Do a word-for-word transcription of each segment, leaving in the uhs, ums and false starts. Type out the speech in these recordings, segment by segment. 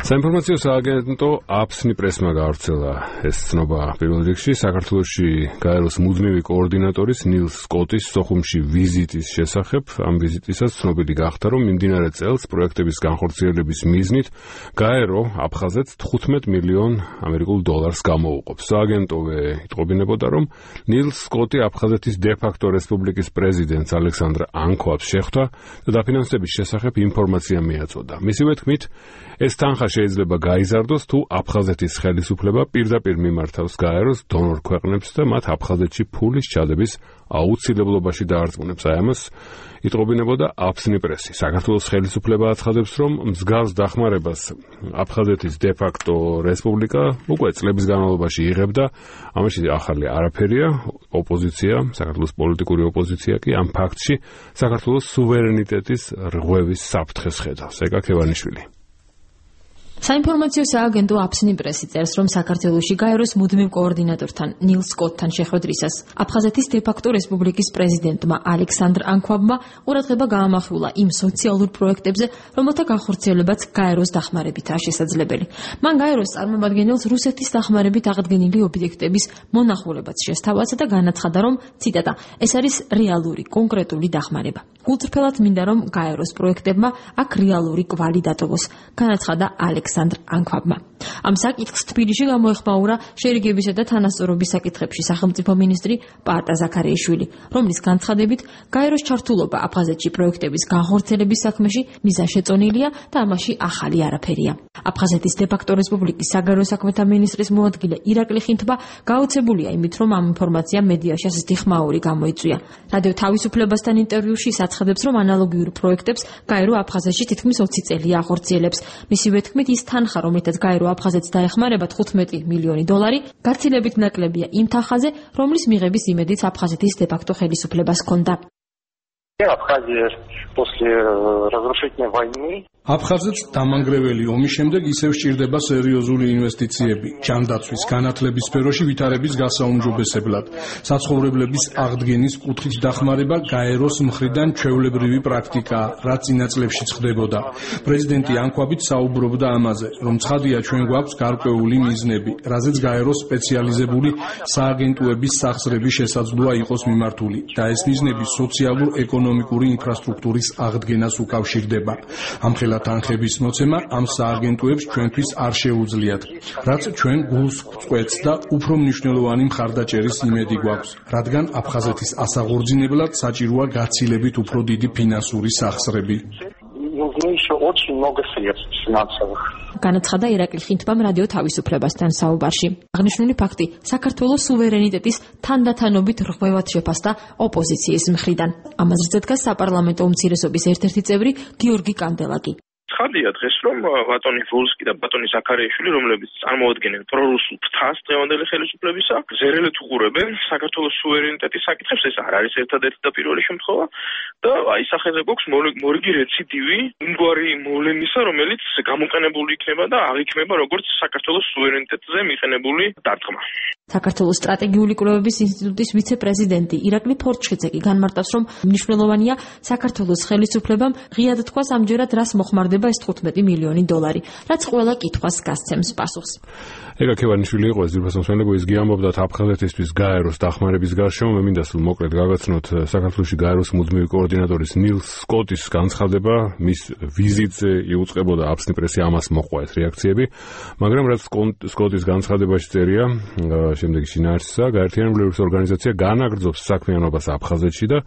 საინფორმაციო სააგენტო აფსნი პრესმა გაავრცელა ეს ცნობა პირველ რიგში საქართველოში გაეროს მუდმივი კოორდინატორის ნილს სკოტის სოხუმში ვიზიტის შესახებ. Ამ ვიზიტისას ცნობილი გახდა, რომ მიმდინარე წელს პროექტების განხორციელების მიზნით გაერო აფხაზეთს თხუთმეტ მილიონ ამერიკულ დოლარს გამოუყოფს. სააგენტოვე იტყობინებოდა, რომ ნილს სკოტი აფხაზეთის დე-ფაქტო რესპუბლიკის პრეზიდენტს ალექსანდრ ანქვაბს შეხვდა და დაფინანსების შესახებ ინფორმაცია მიაწოდა. მისივე თქმით, ეს თანხა შეიძლება გაიზარდოს, თუ აფხაზეთის ხელისუფლება პირდაპირ მიმართავს გაეროს დონორ ქვეყნებს და მათ აფხაზეთში ფულის ჩადების აუცილებლობაში დაარწმუნებს. აი ამას იტყობინებოდა აფსნი პრესი. საქართველოს ხელისუფლება აცხადებს, რომ მსგავს დახმარებას აფხაზეთის დე-ფაქტო რესპუბლიკა უკვე წლების განმავლობაში იღებდა. ამაში ახალი არაფერია. ოპოზიცია, საქართველოს პოლიტიკური ოპოზიცია კი ამ ფაქტში საქართველოს სუვერენიტეტის რღვევის საფრთხეს ხედავს. ეკა ქევანიშვილი. საინფორმაციო სააგენტო აფსნი პრესი წერს, რომ საქართველოში გაეროს მუდმივ კოორდინატორთან ნილს სკოტთან შეხვედრისას აფხაზეთის დე-ფაქტო რესპუბლიკის პრეზიდენტმა ალექსანდრ ანქვაბმა ყურადღება გაამახვილა იმ სოციალურ პროექტებზე, რომელთა განხორციელებაც გაეროს დახმარებითაა შესაძლებელი. მან გაეროს წარმომადგენელს რუსეთის დახმარებით აღდგენილი ობიექტების მონახულებაც შესთავაზა და განაცხადა, რომ ციტატა ეს არის რეალური, კონკრეტული დახმარება. გულწრფელად მინდა, რომ გაეროს პროექტებმა აქ რეალური კვალი დატოვოს, განაცხადა ალექსანდრ ანქვაბმა. ამ საკითხს თბილისში გამოეხმაურა შერიგებისა და თანასწორობის საკითხებში სახელმწიფო მინისტრი პაატა ზაქარიაშვილი, რომლის განცხადებით გაეროს ჩართულობა აფხაზეთში პროექტების განხორციელების საქმეში მიზანშეწონილია და ამაში ახალი არაფერია. აფხაზეთის დე-ფაქტო რესპუბლიკის საგარეო საქმეთა მინისტრის მოადგილე ირაკლი ხინთბა გაოცებულია იმით, რომ ამ ინფორმაციამ მედიაში ასეთი ხმაური გამოიწვია. რადიო თავისუფლებასთან ინტერვიუში ის აცხადებს, რომ ანალოგიურ პროექტებს გაერო აფხაზეთში თითქმის ოცი წელია ახორციელებს. მისივე თქმით, ის თანხა, რომლითაც გაერო აფხაზეთს დაეხმარება თხუთმეტი მილიონი დოლარი, გაცილებით ნაკლებია იმ თანხაზე, რომლის მიღების იმედიც აფხაზეთის დე-ფაქტო ხელისუფლებას ჰქონდა. აფხაზეთს დამანგრეველი ომის შემდეგ ისევ სჭირდება სერიოზული ინვესტიციები, ჯანდაცვის, განათლების სფეროში ვითარების გასაუმჯობესებლად. საცხოვრებლების აღდგენის კუთხით დახმარება გაეროს მხრიდან ჩვეულებრივი პრაქტიკაა, რაც წინა წლებშიც ხდებოდა. პრეზიდენტი ანქვაბით საუბრობდა ამაზე, რომ ცხადია ჩვენ გვაქვს გარკვეული მიზნები, რაზეც გაეროს სპეციალიზებული სააგენტოების სახსრები შესაძლოა იყოს მიმართული და ეს მიზნები სოციალურ-ეკონომიკური ინფრასტრუქტურის აღდგენას უკავშირდება. ამხელა თანხების მოცემა ამ სააგენტოებს ჩვენთვის არ შეუძლიათ, რაც ჩვენ გულს გვწყვეტს და უფრო მნიშვნელოვანი მხარდაჭერის იმედი გვაქვს, რადგან აფხაზეთის ასაღორძინებლად საჭიროა გაცილებით უფრო დიდი ფინანსური სახსრები. განაცხადა ირაკლი ხინთბამ რადიო თავისუფლებასთან საუბარში. აღნიშნული ფაქტი საქართველოს სუვერენიტეტის თანდათანობით რღვევად შეფასდა ოპოზიციის მხრიდან. ამაზრზე დგას საპარლამენტო უმცირესობის ერთ-ერთი წევრი გიორგი კანდელაკი. ცხადია დღეს, რომ ბატონი ვოლსკი და ბატონი ზაქარიაშვილი, რომლებიც წარმოადგენენ პრორუსულ ფრთას დღევანდელი ხელისუფლებისა, ზერელეთ უყურებენ საქართველოს სუვერენიტეტის საკითხებს. ეს არ არის ერთადერთი და პირველი შემთხვევა და აი სახელზე გვაქვს მორიგი რეციდივი იმგვარი მოვლენისა, რომელიც გამოყენებული იქნება და აღიქმება როგორც საქართველოს სუვერენიტეტზე მიყენებული დარტყმა. საქართველოს სტრატეგიული კვლევების ინსტიტუტის ვიცე-პრეზიდენტი ირაკლი ფორჩხიძე კი განმარტავს, რომ მნიშვნელოვანია საქართველოს ხელისუფლებამ ღიად თქვას ამჯერად რას მოხმარდება ეს თხუთმეტი მილიონი დოლარი, რაც ყველა კითხვას გასცემს პასუხს. ეკა ქევანიშვილი იყო ეს ძირფას მოსმენები, ის გიამბობდა აფხაზეთისთვის გაეროს დახმარების გარშემო. მე მინდა სულ მოკლედ გავაცნოთ საქართველოში გაეროს მუდმივი კოორდინატორის ნილს სკოტის განცხადება, მის ვიზიტზე იუწყებოდა აფსნი პრესი, ამას მოჰყვა ეს რეაქციები, მაგრამ რაც სკოტის განცხადებაში წერია, შემდეგი შინაარსისა, გაერთიანებულების ორგანიზაცია განაგრძობს საქმიანობას აფხაზეთში და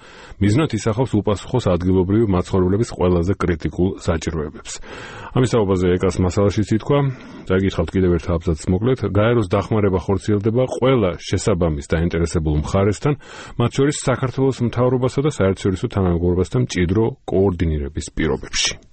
მიზნად ისახავს უპასუხოს ადგილობრივი მაცხოვრებლების ყველაზე კრიტიკულ საჭიროებებს. ამის საუბარზე ეკას მასალაშიც ითქვა, წაიკითხავთ კიდევ ერთ აბზაცს მოკლედ, გაეროს დახმარება ხორციელდება ყველა შესაბამის დაინტერესებულ მხარესთან, მათ შორის საქართველოს მთავრობასა და საერთაშორისო თანამეგობრობასთან მჭიდრო კოორდინირების პირობებში.